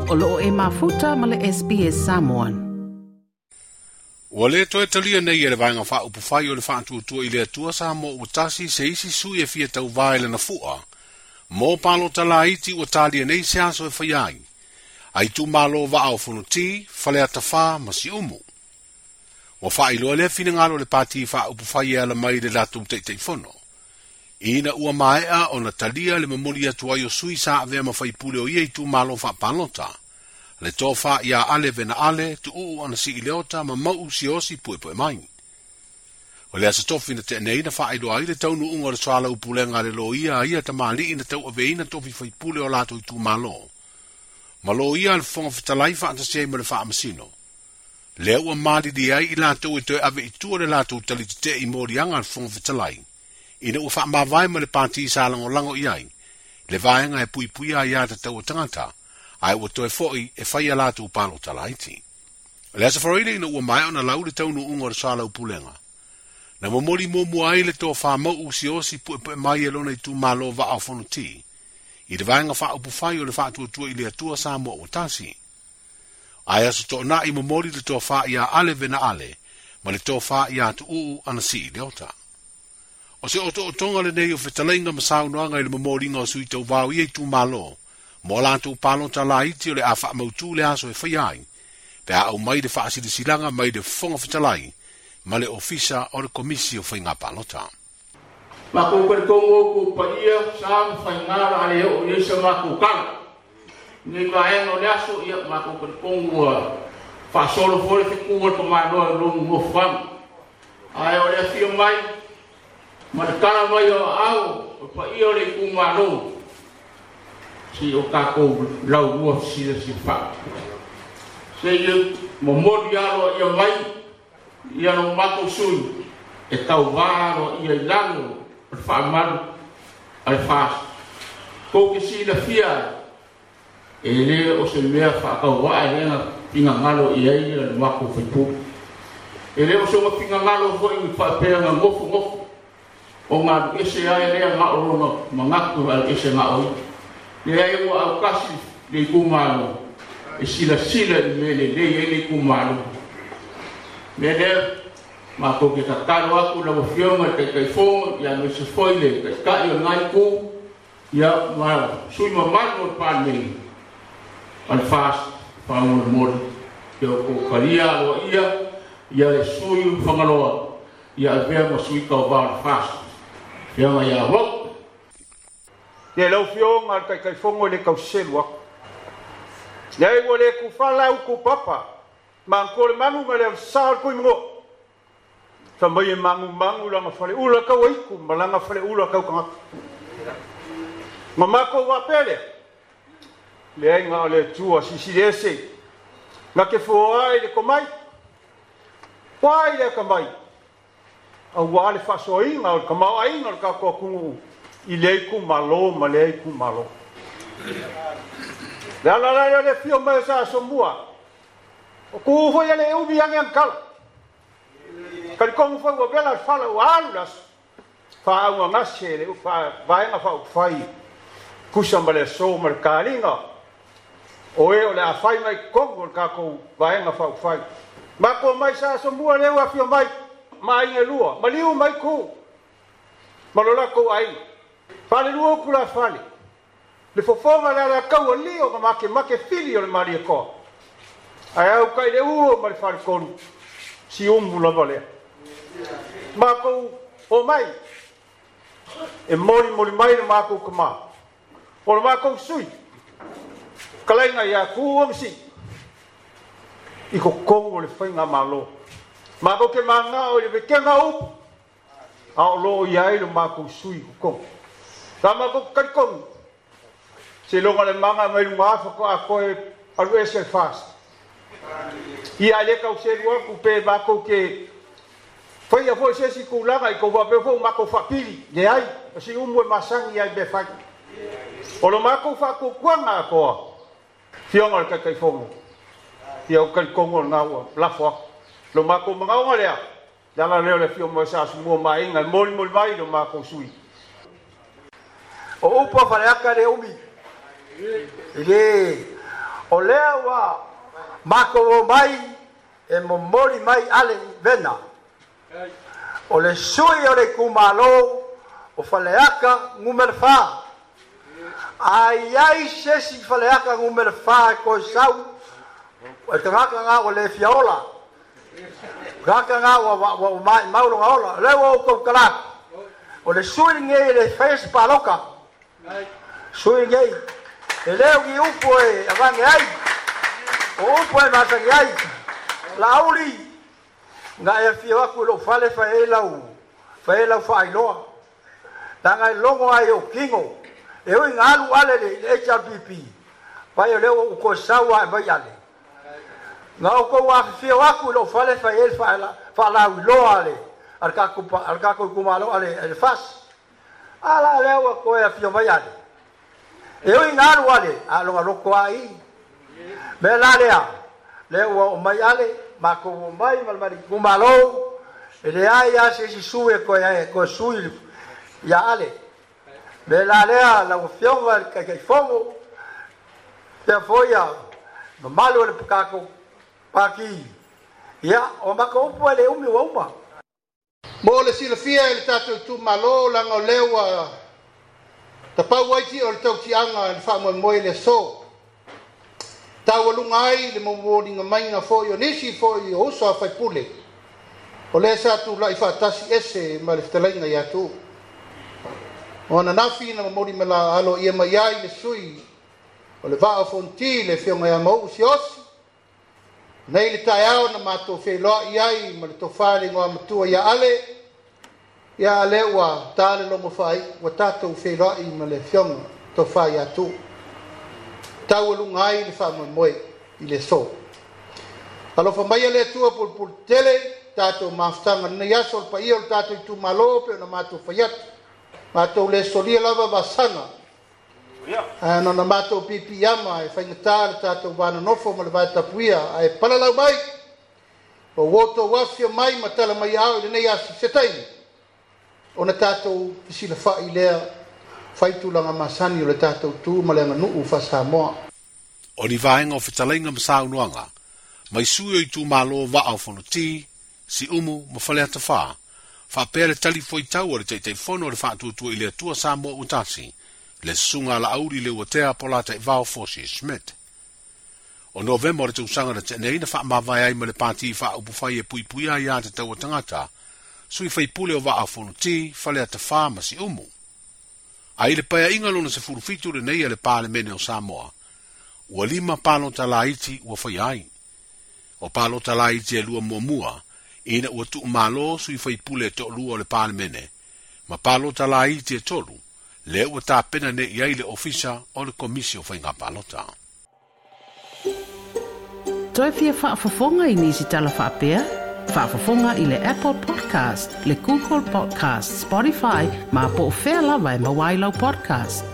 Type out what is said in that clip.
O loo e mafuta ma le SBS Samoan. Ua le toe talia nei e le Vaega Faaupufai o le Faatuatua i le Atua Samoa ua Tasi se isi sui e fia tauvā i lana fua mo palota laiti ua talia nei se aso e faia ai a itumalo vaa o Fonoti, Faleata 4 ma Siumu. Ua faailoa lea finagalo o le Pati Faaupufai e ala mai i le latou Taitaifono, ina ua maea ona talia le momoli atu ai o sui sa avea ma faipule o ia itumalo faapalota, le tofa ia Ale Vena Ale, Tuuu Anasii Leota ma Mauu Siaosi Puepuemai. O le Aso Tofi na tea nei na faailoa ai le taunuuga o le soalaupulega a le loia a ia tamalii na tauaveina tofi faipule o latou itumalo, ma loia a le Fofoga Fetalai faatasi ai ma le Faamasino. Lea ua malilie ai i latou e toe ave i tua le latou tali tetee i moliaga a le Fofoga Fetalai, ina ua faamavae ma le pati sa lagolago i ai le vaega e puipuia aia tatau a tagata, ae ua toe foi e fai a latou palota laiti. O le Aso Faraile ina ua maea ona lau le taunuuga o le soalaupulega, na momoli muamua ai le tofa Mauu Siaosi Puepuemai e lona itumalo vaa o Fonoti, i le Vaega Faaupufai o le Faatuatua i le Atua Samoa ua Tasi. Ae Aso Toonai momoli le tofa ia Ale Vena Ale ma le tofa ia Tuuu Anasii Leota. O se otootoga lenei o fetalaiga ma saunoaga i le momoliga o sui tauvā o ia itumalo mo a latou palota laiti o le a faamautu le aso e faia ai, pe a aumai le faasilasilaga mai le Fofoga Fetalai ma le Ofisa o le Komisi o Faiga Palota. Makou talitonu outou paia, sa ma faiga o le a le oo i ai sa matou tala. I nei vaega o le aso, ia, matou talitonu ua faasolo foi le fetu a le tamaloa i lou nofoaga. Ae o le afio mai ma le tala mai o aao o le paia o le itumalo, se i o tatou laulua fesilafilafai. Se i momoli aloaia mai ia lo matou sui e tauvā aloaia i lalo o le faamalu a le FAST. Tou te silafia ai, e le o se mea faatauvaa e lea finagalo i ai le matou faipule. E le o se finagalo foi faapea na nofonofo o galu ese ai lea na o lona manatu e alu ese na o ia. Leai, ua autasi le itumalo e silasila i mea lelei ai le itumalo. Mea lea, matou te tatalo atu lau Afioga i le Taitaifono, ia aemaise foi le Taitai o lena itu, ia ma sui mamalu o le Palemene a le FAST faamolemole, ia outou talia aloaia ia le sui o Fagaloa ia avea ma sui tauva o le FAST. Afioga ia Mauu. Ia lau Afioga i le Taitaifono e le tau selu atu. Leai ua le tufala utu papa, matua le manu ma le avesa o le tuimanoa. Fa mai e magumagu lana faleula tau aitu ma lana faleula tau tagata. Ma matou faapea lea, leai na o le Atua silisili ese, na te fua ai le tomai, fua ai le atamai, aua le faasoaina o le tamaoaiga o le tatou atunuu i lea itumalo ma lea itumalo. Le ala la lea o le afio mai o sa Asomua, o ku foi e le umi ane anakala. Talitonu foi ua vela le fala ua alu le aso, faaaugagase le vaega faaupufai tusa ma le aso ma le taliga o e o le a fai mai totonu o le tatou vaega faaupufai. Matou mai sa Asomua lea ua afio mai ma aiga e lua, maliu mai ku ma lo latou aiga. Falelua upu la fale, le fofoga le alataua lio ma makemake fili o le Malietoa. Ae au kai le ua ma le faletolu, siumu lava lea. Matou omai e molimoli mai le matou tama, o le matou sui, kalaiga ia Tuuu Anasii i totonu o le faigamalo. Matou te manao i le vekega o upu, a o lo o i ai lo matou sui i totonu. Sa matou talitonu, seiloga le maga mai luga afa faatoa toe alu ese le FAST. Ia ae le tau selu atu pe matou te faia foi se isi tulaga i tou faapea foi ua matou faapili. Leai, o si umu e masani ai i mea fai. O lo matou faatuatuaga atoa, Afioga i le Taitaifono, ia ou talitonu o lena ua lafo atu. Lo matou manaoga lea, le ala lea o le afio mai o sa Asomua ma aiga e molimoli mai lo matou sui. O upu a Faleata le umi, e le O lea ua matou omai e momoli mai Ale Vena, o le sui o le itumalo o Faleata 4. A i ai se isi Faleata 4 e toe sau, o le tagata lena ua le fia ola. O le tagata lena ua maimau lona ola. O lea ua ou tautala atu, o le sui lenei e le faia se palota. Sui lenei, e le o ni upu e avane ai, o upu e masani ai. Laauli, na e afio atu i lou fale fai ai lau, fai ai lau faailoa. Leaga e logo ai i ou tino, e ui ina alu Ale i le HRPP, vai o lea ua ou toe sau lava e mai Ale. Na outou afifio atu i lou fale fai ai le faalauiloa a le a le tatou itumalo a le FAST. A la lea ua toe afio mai Ale. E ui ina alu Ale, a o lona loto lava i i. Mea la lea, lea ua oo mai Ale, matou omai ma le itumalo, e leai lava se isi sui e toe sui ia Ale. Mea la lea, lau Afioga i le Taitaifono, faapea foi ia mamalu o le tatou Pati, ia, o matou upu e le umi ua uma. Mo le silafia e le tatou itumalo, leaga o lea ua tapau ai tia o le tautiaga i le faamoemoe i le aso. Taualuga ai le momoliga maiga foi o nisi foi o uso a faipule, o lea sa tulai faatasi ese ma le fetalaiga ia Tuuu. O ananafi na momoli mala aloaia mai ai le sui o le Vaa o Fonoti, le Afioga ia Mauu Siaosi, nei le taeao na matou feiloai ai ma le tofa i le igoamatua ia Ale, ia a lea ua ta le logo faaiu, ua tatou feiloai ma le Afioga tofa ia Tuuu. Taualuga ai le faamoemoe i le aso. Alofa maia le Atua pulepuletele, tatou mafutaga lenei aso, le paia o le tatou itumalo pei ona matou fai atu. Matou le solia lava vasaga, ae na ona matou piipiiama e faigata le tatou va nonofo ma le va tapuia, ae palalau mai, ua outou afifio mai ma tala mai aao i lenei aso se taimi, ona tatou fesilafai lea fai tulaga masani o le tatou tu ma le aganuu faa-Samoa. O ni vaega o fetalaiga ma saunoaga mai sui o itumalo Vaa o Fonoti, Siumu ma Faleata 4, faapea le tali fuaitau a le Taitaifono o le Faatuatua i le Atua Samoa ua Tasi, le Susuga a Laauli Leuatea Polataivao Fosi Schmidt. O Novema o le tausaga na tea nei na faamavae ai ma le Pati Faaupufai e Puipuia Aiā Tatau a Tagata, sui faipule o Vaa o Fonoti, Faleata 4 ma Siumu. A i le paeaiga lona 17 lenei a le Palemene o Samoa, ua lima palota laiti ua faia ai. O palota laiti e lua muamua, ina ua tuumalo sui faipule e toalua o le Palemene, ma palota laiti e tolu, lea ua tapena nei i ai le Ofisa o le Komisi o Faiga Palota. Toe fia faafofoga i nisi tala faapea? Faafofoga i le Apple Podcast, le Google Podcast, Spotify, ma po o fea lava e maua ai lau podcast.